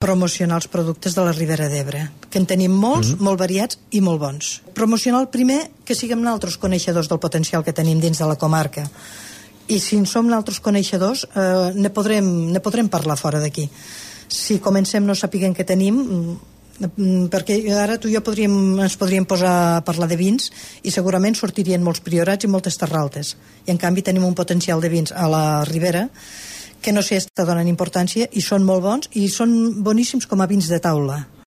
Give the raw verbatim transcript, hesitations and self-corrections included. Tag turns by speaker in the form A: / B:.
A: promocionar els productes de la Ribera d'Ebre, que en tenim molts, mm-hmm. molt variats i molt bons. Promocionar el primer, que siguem nosaltres coneixedors del potencial que tenim dins de la comarca. I si en som nosaltres coneixedors, eh, ne, podrem, ne podrem parlar fora d'aquí. Si comencem no sapiguem què tenim, perquè ara tu i jo podríem, ens podríem posar a parlar de vins i segurament sortirien molts priorats i moltes terraltes. I en canvi tenim un potencial de vins a la Ribera que no s'hi està donant importància i són molt bons i són boníssims com a vins de taula.